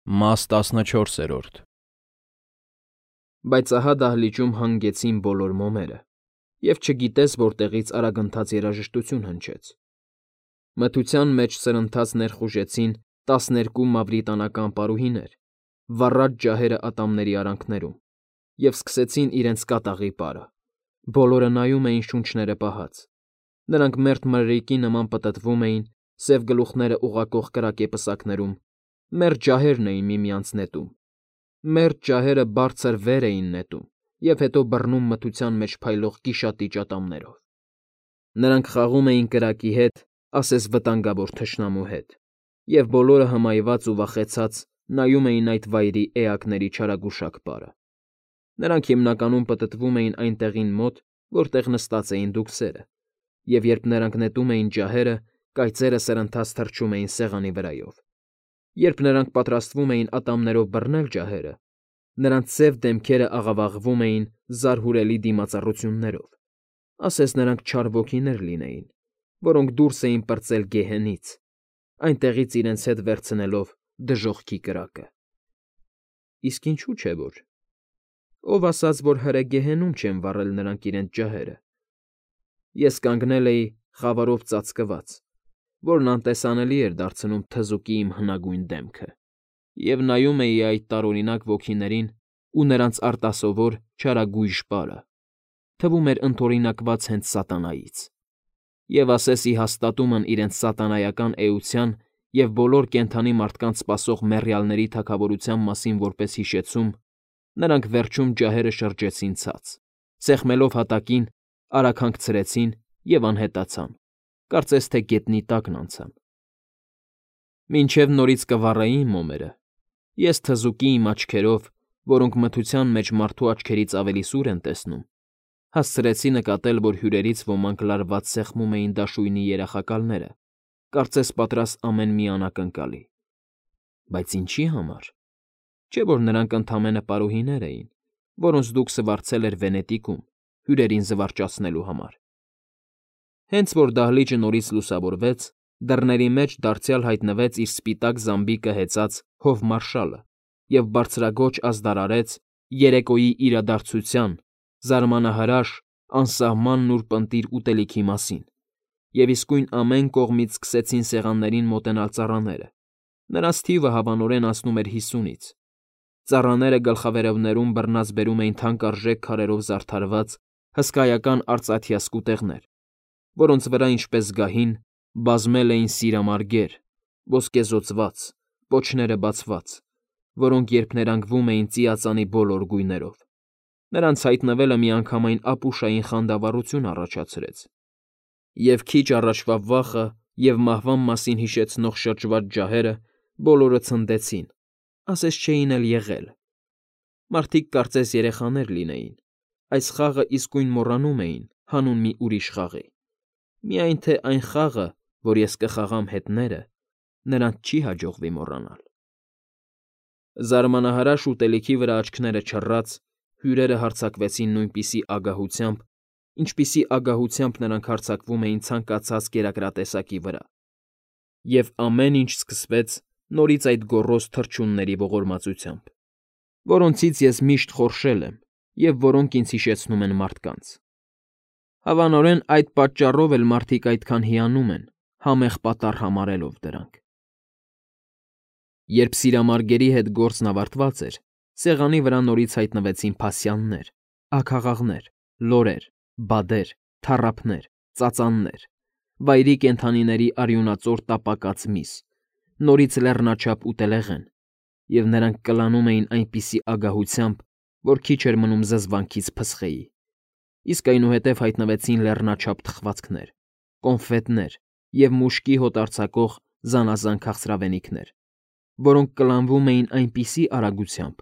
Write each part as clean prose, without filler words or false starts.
Մաս 14 Բայց ահա դահլիճում հանգեցին բոլոր մոմերը, և չգիտես որտեղից արագընթաց երաժշտություն հնչեց. մթության մեջ սրընթաց ներխուժեցին 12 մավրիտանական պարուհիներ, վառած ջահերը ատամների արանքներում, և սկսեցին իրենց կատաղի պարը. բոլորը նայում էին շունչները պահած, նրանք մերթ մրրիկի նման պտտվում էին սև գլուխները ուղղակող կրակե պսակներում, մերթ ջահերն էին միմյանց նետում, մերթ ջահերը բարձր վեր էին նետում և հետո բռնում մթության մեջ փայլող գիշատիճ ատամներով. նրանք խաղում էին կրակի հետ, ասես վտանգավոր թշնամու հետ, և բոլորը հմայված ու վախեցած նայում էին այդ վայրի էակների չարագուշակ պարը. նրանք հիմնականում պտտվում էին այն տեղին մոտ, որտեղ նստած էին դուքսերը, և երբ նրանք նետում էին ջահերը, կայծերը սրընթաց թռչում էին սեղանի վրայով. երբ նրանք պատրաստվում էին ատամներով բռնել ջահերը, նրանց սև դեմքերը աղավաղվում էին զարհուրելի դիմածառություններով, ասես նրանք չար ոգիներ լինեին, որոնք դուրս էին պրծել գեհենից, այնտեղից իրենց հետ վերցնելով դժոխքի կրակը։ Իսկ ինչու՞ չէ որ… Ով ասաց, որ հրե գեհենում չեն վառել նրանք իրենց ջահերը… Ես կանգնել էի խավարով ծածկված, որն անտեսանելի էր դարձնում թզուկի իմ հնագույն դեմքը, և նայում էի այդ տարօրինակ ոգիներին ու նրանց արտասովոր, չարագույժ պարը, թվում էր ընդօրինակված հենց սատանայից, և ասես ի հաստատումն իրենց սատանայական էության և բոլոր կենդանի մարդկանց սպասող մեռյալների թագավորության մասին որպես հիշեցում, նրանք վերջում ջահերը շրջեցին ցած, սեղմելով հատակին, արագ հանգցրեցին և անհետացան, կարծես թե գետնի տակն անցան։ Մինչև նորից կվառեին մոմերը, ես թզուկի իմ աչքերով, որոնք մթության մեջ մարդու աչքերից ավելի սուր են տեսնում, հասցրեցի նկատել, որ հյուրերից ոմանք լարված սեղմում էին դաշույնի երախակալները, կարծես պատրաստ ամեն մի անակնկալի։ Բայց ինչի համար… Չէ՞ որ նրանք ընդամենը պարուհիներ էին, որոնց դուքսը վարձել էր Վենետիկում հյուրերին զվարճացնելու համար։ Հենց որ դահլիճը նորից լուսավորվեց, դռների մեջ դարձյալ հայտնվեց իր սպիտակ զամբիկը հեծած հովմարշալը և բարձրաձոչ ազդարարեց երեկոյի իրադարձության, զարմանահրաշ, անսահման նուրպընտիր ուտելիքի մասին, և իսկույն ամեն կողմից սկսեցին սեղաններին մոտենալ ծառաները, նրանց թիվը հավանորեն անցնում էր 50-ից, ծառաները գլխավերևներում բռնած բերում էին թանկարժեք քարերով զարդարված հսկայական արծաթյա սկուտեղներ, որոնց վրա, ինչպես գահին, բազմել էին սիրամարգեր, ոսկեզօծված, պոչները բացված, որոնք երբ ներանգվում էին ծիածանի բոլոր գույներով, նրանց հայտնվելը միանգամայն ապուշային խանդավառություն առաջացրեց, և քիչ առաջվա վախը և մահվան մասին հիշեցնող շրջված ջահերը բոլորը ցնդեցին, ասես չէին էլ եղել. մարդիկ կարծես երեխաներ լինեին, այս խաղը իսկույն մոռանում էին հանուն մի ուրիշ խաղի, միայն թե այն խաղը, որ ես կխաղամ հետները, նրանց չի հաջողվի մոռանալ։ Զարմանահրաշ ուտելիքի վրա աչքները չռած, հյուրերը հարձակվեցին նույնպիսի ագահությամբ, ինչպիսի ագահությամբ նրանք հարձակվում էին ցանկացած կերակրատեսակի վրա, և ամեն ինչ սկսվեց նորից այդ գոռոզ թռչունների ողորմածությամբ, որոնցից ես միշտ խորշել եմ և որոնք ինձ հիշեցնում են մարդկանց։ Հավանորեն այդ պատճառով էլ մարդիկ այդքան հիանում են, համեղ պատառ համարելով դրանք։ Երբ սիրամարգերի հետ գործն ավարտված էր, սեղանի վրա նորից հայտնվեցին փասյաններ, աքաղաղներ, լորեր, բադեր, թառափներ, ծածաններ, վայրի կենդանիների արյունածոր տապակած միս, նորից լեռնաչափ ուտելեղեն, և նրանք կլանում էին այնպիսի ագահությամբ, որ քիչ էր մնում զզվանքից փսխեի, իսկ այնուհետև հայտնվեցին լեռնաչափ թխվածքներ, կոնֆետներ և մուշկի հոտ արձակող զանազան քաղցրավենիքներ, որոնք կլանվում էին այնպիսի արագությամբ,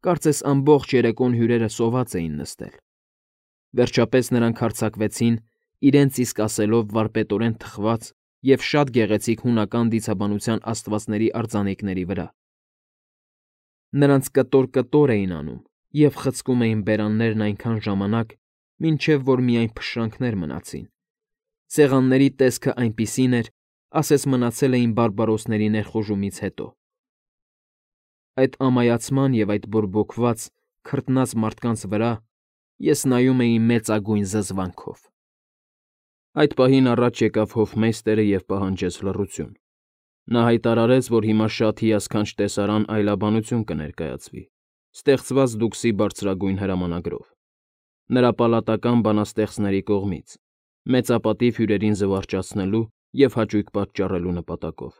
կարծես ամբողջ երեկոն հյուրերը սոված էին նստել։ Վերջապես նրանք հարձակվեցին իրենց իսկ ասելով վարպետորեն թխված և շատ գեղեցիկ հունական դիցաբանության աստվածների արձանիկների վրա. նրանց կտոր էին անում և խցկում էին բերաններն այնքան ժամանակ, մինչև որ միայն փշրանքներ մնացին, սեղանների տեսքն այնպիսին էր, ասես մնացել էին բարբարոսների ներխուժումից հետո։ Այդ ամայացման և այդ բորբոքված, քրտնած մարդկանց վրա ես նայում էի մեծագույն զզվանքով։ Այդ պահին առաջ եկավ հոֆմեյստերը և պահանջեց լռություն։ Նա հայտարարեց, որ հիմա շատ հիասքանչ տեսարան այլաբանություն կներկայացվի, ստեղծված դուքսի բարձրագույն հրամանագրով, նրա պալատական բանաստեղծների կողմից, մեծապատիվ հյուրերին զվարճացնելու և հաճույք պատճառելու նպատակով։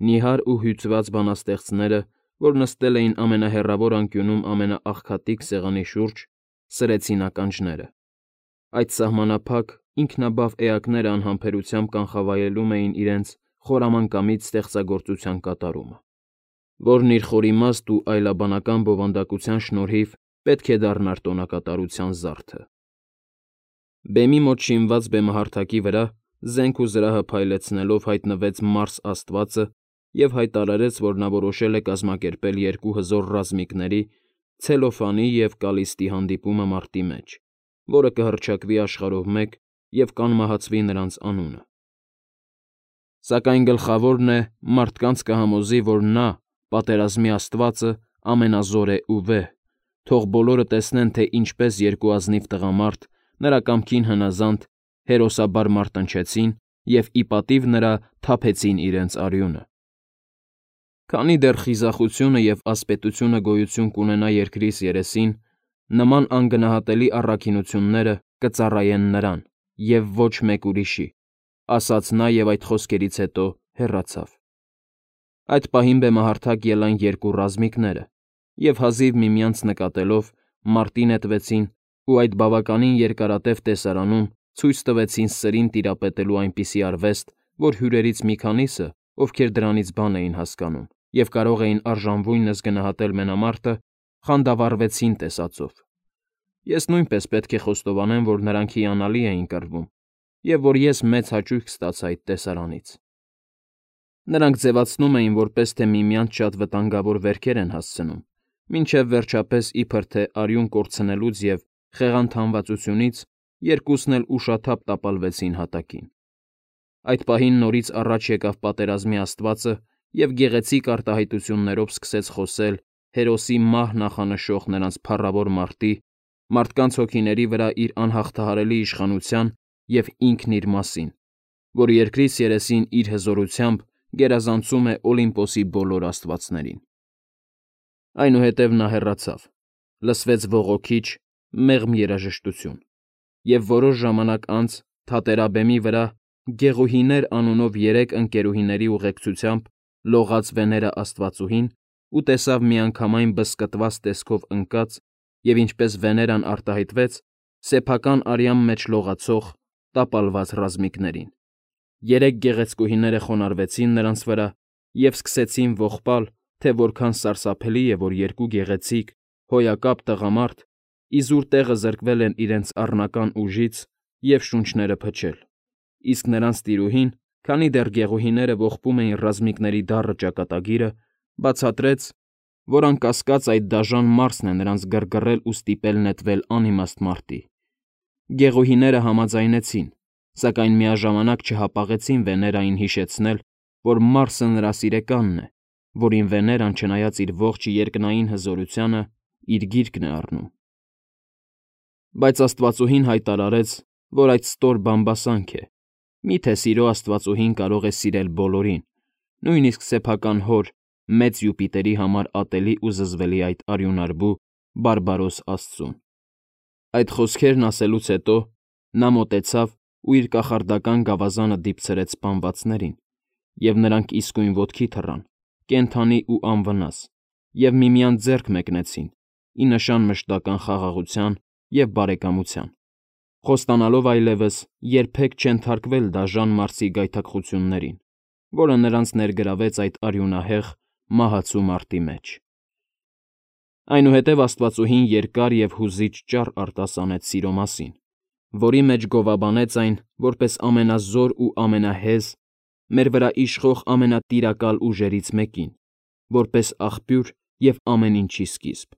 Նիհար ու հյուծված բանաստեղծները, որ նստել էին ամենահեռավոր անկյունում ամենաաղքատիկ սեղանի շուրջ, սրեցին ականջները։ Այդ սահմանափակ, ինքնաբավ էակները անհամբերությամբ կանխավայելում էին իրենց խորամանկամից ստեղծագործության կատարումը, որն իր խորիմաստ ու այլաբանական բովանդակության շնորհիվ պետք է դառնար տոնակատարության զարդը։ Բեմի մոտ շինված բեմահարթակի վրա, զենք ու զրահը փայլեցնելով, հայտնվեց Մարս աստվածը և հայտարարեց, որ նա որոշել է կազմակերպել երկու հզոր ռազմիկների՝ Ցելոֆանի և Կալիստի հանդիպումը մարտի մեջ, որը կհռչակվի աշխարհով մեկ և կանմահացվի նրանց անունը։ Սակայն գլխավորն է, մարդկանց կհամոզի, որ նա, պատերազմի աստվածը, ամենազոր է ու վեհ, թող բոլորը տեսնեն, թե ինչպես երկու ազնիվ տղամարդ, նրա կամքին հնազանդ, հերոսաբար մարտնչեցին և ի պատիվ նրա թափեցին իրենց արյունը։ Քանի դեռ խիզախությունը և ասպետությունը գոյություն կունենա երկրիս երեսին, նման անգնահատելի առաքինությունները կծառայեն նրան, և ոչ մեկ ուրիշի, ասաց նա և այդ խոսքերից հետո հեռացավ։ Այդ պահին բեմահարթակ ելան երկու ռազմիկները և հազիվ միմյանց նկատելով մարտի նետվեցին ու այդ բավականին երկարատև տեսարանում ցույց տվեցին սրին տիրապետելու այնպիսի արվեստ, որ հյուրերից մի քանիսը, ովքեր դրանից բան էին հասկանում և կարող էին արժանվույնս գնահատել մենամարտը, խանդավառվեցին տեսածով։ Ես նույնպես պետք է խոստովանեմ, որ նրանք հիանալի էին կռվում և որ ես մեծ հաճույք ստացա այդ տեսարանից։ Նրանք ձևացնում էին, որպես թե միմյանց շատ վտանգավոր վերքեր են հասցնում, մինչև վերջապես իբր թե արյուն կորցնելուց և խեղանթանվածությունից երկուսն էլ ուշաթափ տապալվեցին հատակին։ Այդ պահին նորից առաջ եկավ պատերազմի աստվածը և գեղեցիկ արտահայտություններով սկսեց խոսել հերոսի մահ նախանշող նրանց փառավոր մարտի, մարդկանց հոգիների վրա իր անհաղթահարելի իշխանության և ինքն իր մասին, որ երկրիս երեսին իր հզորությամբ գերազանցում է Օլիմպոսի բոլոր աստվածներին։ Այնուհետև նա հեռացավ, լսվեց ողոքիչ, մեղմ երաժշտություն, և որոշ ժամանակ անց թատերաբեմի վրա Գեղուհիներ անունով երեք ընկերուհիների ուղեկցությամբ լողաց Վեներա աստվածուհին ու տեսավ միանգամայն բզկտված տեսքով ընկած և, ինչպես Վեներան արտահայտվեց, սեփական արյան մեջ լողացող, տապալված ռազմիկներին։ Երեք գեղեցկուհիները խոնարհվեցին նրանց վրա և սկսեցին ողբալ, թե որքան սարսափելի է, որ երկու գեղեցիկ, հոյակապ տղամարդ իզուր տեղը զրկվել են իրենց առնական ուժից և շունչները փչել, իսկ նրանց տիրուհին, քանի դեռ գեղուհիները ողբում էին ռազմիկների դառը ճակատագիրը, բացատրեց, որ անկասկած այդ դաժան Մարսն է նրանց գրգռել ու ստիպել նետվել անիմաստ մարտի։ Գեղուհիները համաձայնեցին, սակայն միաժամանակ չհապաղեցին Վեներային հիշեցնել, որ Մարսը նրա սիրեկանն է, որին Վեներան, չնայած իր ողջ երկնային հզորությանը, իր գիրկն է առնում։ Բայց աստվածուհին հայտարարեց, որ այդ ստոր բամբասանք է, միթե սիրո աստվածուհին կարող է սիրել բոլորին, նույնիսկ սեփական հոր, մեծ Յուպիտերի համար ատելի ու զզվելի այդ արյունարբու բարբարոս աստծուն։ Այդ խոսքերն ասելուց հետո նա մոտեցավ ու իր կախարդական գավազանը դիպցրեց սպանվածներին, և նրանք իսկույն ոտքի թռան, կենդանի ու անվնաս, և միմյանց ձեռք մեկնեցին, ի նշան մշտական խաղաղության և բարեկամության, խոստանալով այլևս երբեք չենթարկվել դաժան Մարսի գայթակղություններին, որը նրանց ներգրավեց այդ արյունահեղ, մահացու մարտի մեջ։ Այնուհետև աստվածուհին երկար և հուզիչ ճառ արտասանեց սիրո մասին, որի մեջ գովաբանեց այն որպես ամենազոր ու ամենահեզ, մեր վրա իշխող ամենատիրակալ ուժերից մեկին, որպես աղբյուր և ամեն ինչի սկիզբ։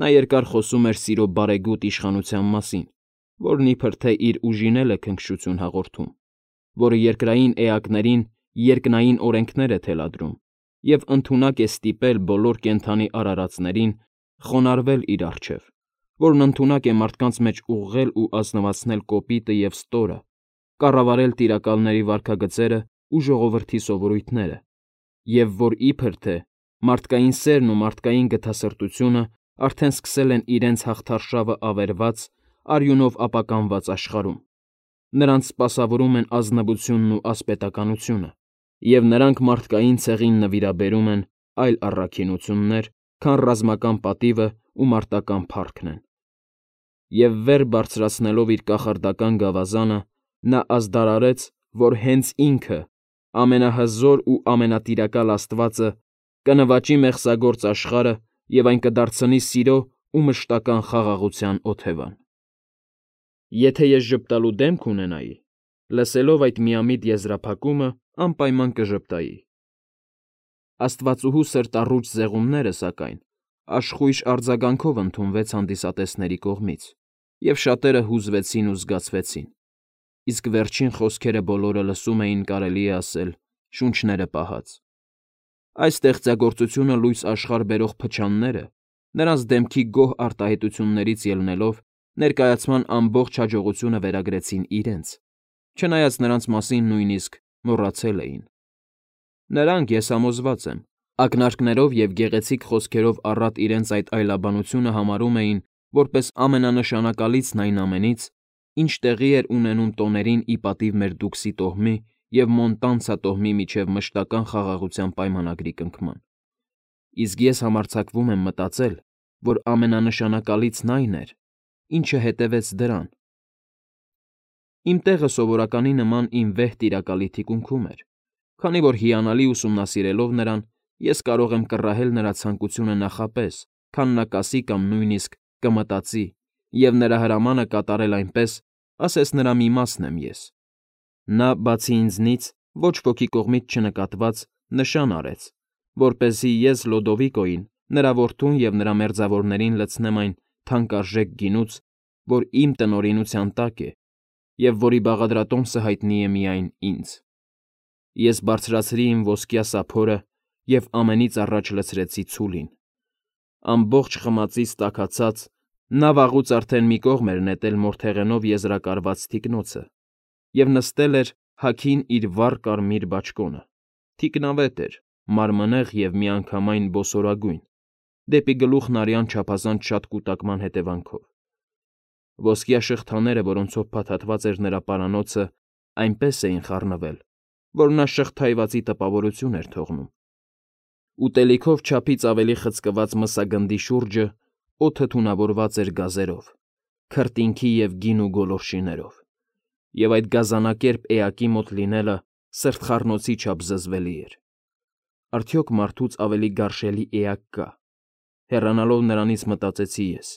Նա երկար խոսում էր սիրո բարեգութ իշխանության մասին, որն իբր թե իր ուժին էլ է քնքշություն հաղորդում, որը երկրային էակներին երկնային օրենքներ է թելադրում և ընդունակ է ստիպել բոլոր կենդանի արարածներին խոնարհվել իր առջև, որն ընդունակ է մարդկանց մեջ ուղղել ու ազնվացնել կոպիտը և ստորը, կառավարել տիրակալների վարքագծերն ու ժողովրդի սովորույթները, և որ իբր թե մարդկային սերն ու մարդկային գթասրտությունը արդեն սկսել են իրենց հաղթարշավը ավերված, արյունով ապականված աշխարհում, նրանց սպասավորում են ազնվությունն ու ասպետականությունը, և նրանք մարդկային ցեղին նվիրաբերում են այլ առաքինություններ, քան ռազմական պատիվն ու մարտական փառքն են։ Եվ վեր բարձրացնելով իր կախարդական գավազանը, նա ազդարարեց, որ հենց ինքը, ամենահզոր ու ամենատիրակալ Աստվածը, կնվաճի մեղսագործ աշխարհը և այն կդարձնի սիրո ու մշտական խաղաղության օթևան։ Եթե ես ժպտալու դեմք ունենայի, լսելով այդ միամիտ եզրափակումը անպայման կժպտայի։ Աստվածուհու սրտառուչ զեղումները, սակայն, աշխույժ արձագանքով ընդունվեց հանդիսատեսների կողմից, և շատերը հուզվեցին ու զգացվեցին, իսկ վերջին խոսքերը բոլորը լսում էին, կարելի է ասել, շունչները պահած։ Այս ստեղծագործությունը լույս աշխարհ բերող փչանները, նրանց դեմքի գոհ արտահայտություններից ելնելով, ներկայացման ամբողջ հաջողությունը վերագրեցին իրենց, չնայած նրանց մասին նույնիսկ մոռացել էին։ Նրանք, ես համոզված եմ, ակնարկներով և գեղեցիկ խոսքերով առատ իրենց այդ այլաբանությունը համարում էին որպես ամենանշանակալիցն այն ամենից, ինչ տեղի էր ունենում տոներին ի պատիվ մեր Դուքսի տոհմի և Մոնտանցա տոհմի միջև մշտական խաղաղության պայմանագրի կնքման։ Իսկ ես համարձակվում եմ մտածել, որ ամենանշանակալիցն այն էր, ինչը հետևեց դրան։ Իմ տեղը սովորականի նման իմ վեհ տիրակալի թիկունքում էր, քանի որ հիանալի ուսումնասիրելով նրան, ես կարող եմ կռահել նրա ցանկությունը նախապես, քան նա կասի կամ նույնիսկ կմտածի, և նրա հրամանը կատարել այնպես, ասես նրա մի մասն եմ ես։ Նա, բացի ինձնից, ոչ ոքի կողմից չնկատված, նշան արեց, որպեսզի ես Լոդովիկոյին, նրա որդուն և նրա մերձավորներին լցնեմ այն թանկարժեք գինուց, որ իմ տնօրինության տակ է և որի բաղադրատոմսը հայտնի է միայն ինձ։ Ես բարձրացրի իմ ոսկյա սափորը և ամենից առաջ լցրեցի ցուլին։ Ամբողջ խմածից տաքացած, նա վաղուց արդեն մի կողմ էր նետել մորթեղենով եզրակարված թիկնոցը և նստել էր հագին իր վառ կարմիր բաճկոնը, թիկնավետ էր, մարմնեղ և միանգամայն բոսորագույն, դեպի գլուխն արյան չափազանց շատ կուտակման հետևանքով։ Ոսկյա շղթաները, որոնցով փաթաթված էր նրա պարանոցը, այնպես էին խառնվել, որ նա շղթայվածի տպավորություն էր թողնում։ Ուտելիքով չափից ավելի խցկված մսագնդի շուրջը օդը թունավորված էր գազերով, քրտինքի և գինու գոլորշիներով, և այդ գազանակերպ էակի մոտ լինելը սրտխառնոցի չափ զզվելի էր։ Արդյոք մարդուց ավելի գարշելի էակ կա։ Հեռանալով նրանից մտածեցի ես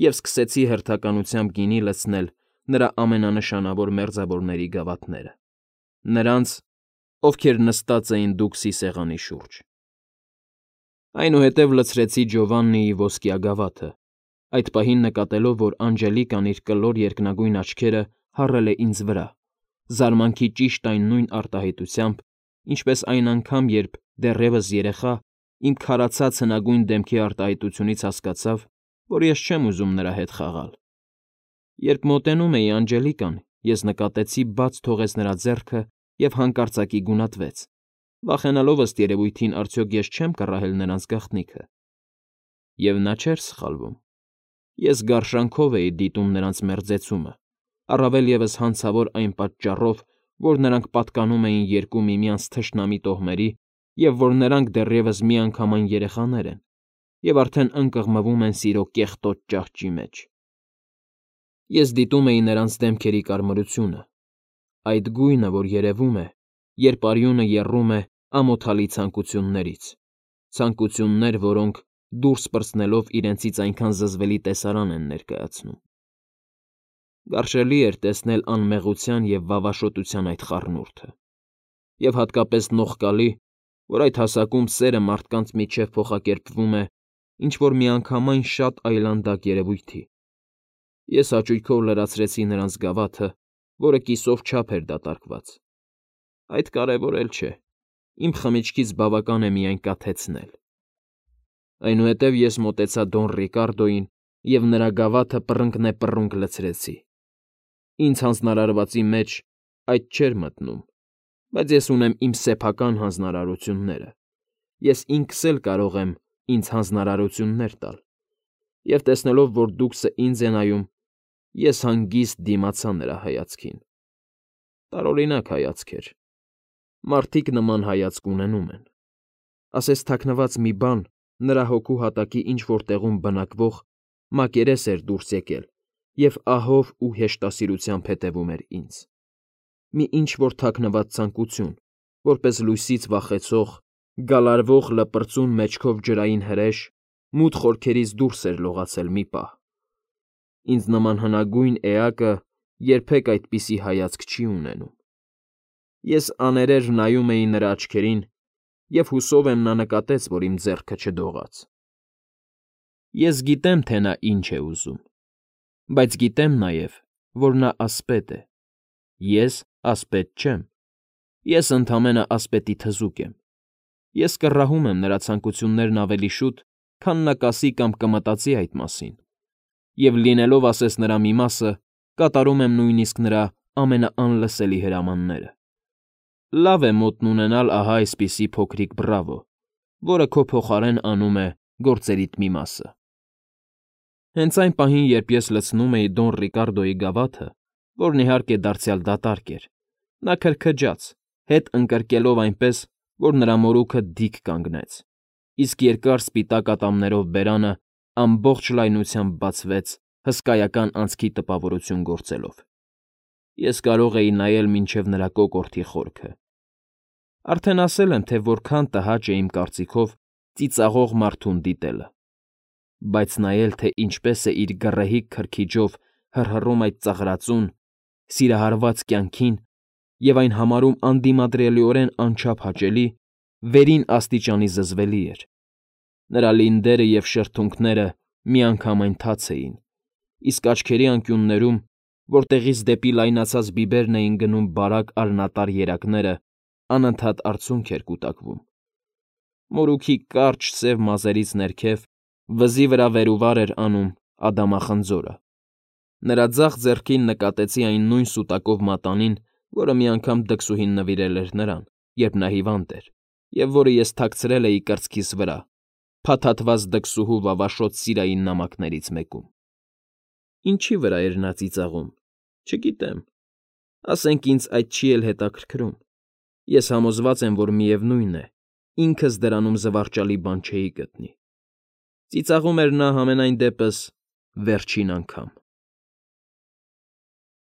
և սկսեցի հերթականությամբ գինի լցնել նրա ամենանշանավոր մերձավորների գավաթները, նրանց, ովքեր նստած էին Դուքսի սեղանի շուրջ։ Այնուհետև լցրեցի Ջովաննիի ոսկյա գավաթը, այդ պահին նկատելով, որ Անջելիկան իր կլոր երկնագույն աչքերը հառել է ինձ վրա, զարմանքի ճիշտ այն նույն արտահայտությամբ, ինչպես այն անգամ, երբ, դեռևս երեխա, իմ քարացած հնագույն դեմքի արտահայտությունից հասկացավ, որ ես չեմ ուզում նրա հետ խաղալ։ Երբ մոտենում էի Անջելիկան, ես նկատեցի բաց թողեց նրա ձեռքը և հանկարծակի գունատվեց, վախենալով ըստ երևույթին արդյոք ես չեմ կռահել նրանց գաղտնիքը։ Եվ նա չէր սխալվում։ Ես գարշանքով էի դիտում նրանց մերձեցումը, առավել ևս հանցավոր այն պատճառով, որ նրանք պատկանում էին երկու միմյանց թշնամի տոհմերի և որ նրանք դեռևս միանգամայն երեխաներ են և արդեն ընկղմվում են սիրո կեղտոտ ճահճի մեջ։ Ես դիտում էի նրանց դեմքերի կարմրությունը, այդ գույնը, որ երևում է, երբ արյունը եռում է ամոթալի ցանկություններից, ցանկություններ, որոնք, դուրս պրծնելով իրենցից այնքան զզվելի տեսարան են ներկայացնում։ Գարշելի էր տեսնել անմեղության և վավաշոտության այդ խառնուրդը, և հատկապես նողկալի, որ այդ հասակում սերը մարդկանց միջև փոխակերպվում է ինչ֊որ միանգամայն շատ այլանդակ երևույթի։ Ես հաճույքով լրացրեցի նրանց գավաթը, որը կիսով չափ էր դատարկված։ Այդ կարևոր էլ չէ։ իմ խմիչքից բավական է միայն կաթեցնել։ Այնուհետև ես մոտեցա Դոն Ռիկարդոյին և նրա գավաթը պռնգնեպռունգ լցրեցի։ Ինձ հանձնարարվածի մեջ այդ չէր մտնում, բայց ես ունեմ իմ սեփական հանձնարարությունները, ես ինքս էլ կարող եմ ինձ հանձնարարություններ տալ, և տեսնելով, որ դուքսը ինձ է նայում, ես հանգիստ դիմացա նրա հայացքին։ Տարօրինակ հայացք էր։ Մարդիկ նման հայացք ունենում են։ Ասես թաքնված մի բան նրա հոգու հատակի ինչ֊որ տեղում բնակվող մակերես էր դուրս եկել և ահով ու հեշտասիրությամբ հետևում էր ինձ։ Մի ինչ֊որ թաքնված ցանկություն, որպես լույսից վախեցող, գալարվող լպրծուն մեջքով ջրային հրեշ, մութ խորքերից դուրս էր լողացել մի պահ։ Ինձ նման հնագույն էակը երբեք այդպիսի հայացք չի ունենում։ Ես աներևը նայում էի նրա աչքերին և հուսով եմ նա նկատեց, որ իմ ձեռքը չդողաց։ Ես գիտեմ, թե նա ինչ է ուզում, բայց գիտեմ նաև, որ նա ասպետ է։ Ես ասպետ չեմ։ Ես ընդամենը ասպետի թզուկ եմ։ Ես կռահում եմ նրա ցանկություններն ավելի շուտ, քան նա կասի կամ կմտածի այդ մասին, և լինելով ասես նրա մի մասը, կատարում եմ նույնիսկ նրա ամենաանլսելի հրամանները։ Լավ է մոտն ունենալ ահա այսպիսի փոքրիկ բռավո, որը քո փոխարեն անում է գործերիդ մի մասը։ Հենց այն պահին, երբ ես լցնում էի Դոն Ռիկարդոյի գավաթը, որն իհարկե դարձյալ դատարկ էր, նա քրքջաց, հետ ընկրկելով այնպես, որ նրա մորուքը դիկ կանգնեց, իսկ երկար սպիտակ ատամներով բերանը ամբողջ լայնությամբ բացվեց հսկայական անցքի տպավորություն գործելով։ Ես կարող էի նայել մինչև նրա կոկորդի խորքը։ Արդեն ասել եմ, թե որքան տհաճ է իմ կարծիքով ծիծաղող մարդուն դիտելը, բայց նայել, թե ինչպես է իր գռեհիկ քրքիջով հռհռում այդ ծաղրածուն, սիրահարված կյանքին և այն համարում անդիմադրելիորեն անչափ հաճելի, վերին աստիճանի զզվելի էր։ Նրա լինդերը և շրթունքները միանգամայն թաց էին, իսկ աչքերի անկյուններում, որտեղից դեպի լայնացած բիբերն էին գնում բարակ արյունատար երակները, անընդհատ արցունք էր կուտակվում։ Մորուքի կարճ սև մազերից ներքև վզի վրա վեր ու վար էր անում ադամախնձորը։ Նրա ձախ ձեռքին նկատեցի այն նույն սուտակով մատանին, որը մի անգամ դքսուհին նվիրել էր նրան, երբ նա հիվանդ էր, և որը ես թաքցրել էի կրծքիս վրա, փաթաթված դքսուհու վավաշոտ սիրային նամակներից մեկում։ Ինչի վրա էր նա ծիծաղում, չգիտեմ, ասենք ինձ այդ չի էլ հետաքրքրում։ Ես համոզված եմ, որ միևնույն է, ինքս դրանում զվարճալի բան չէի գտնի։ Ծիծաղում էր նա համենայն դեպս վերջին անգամ։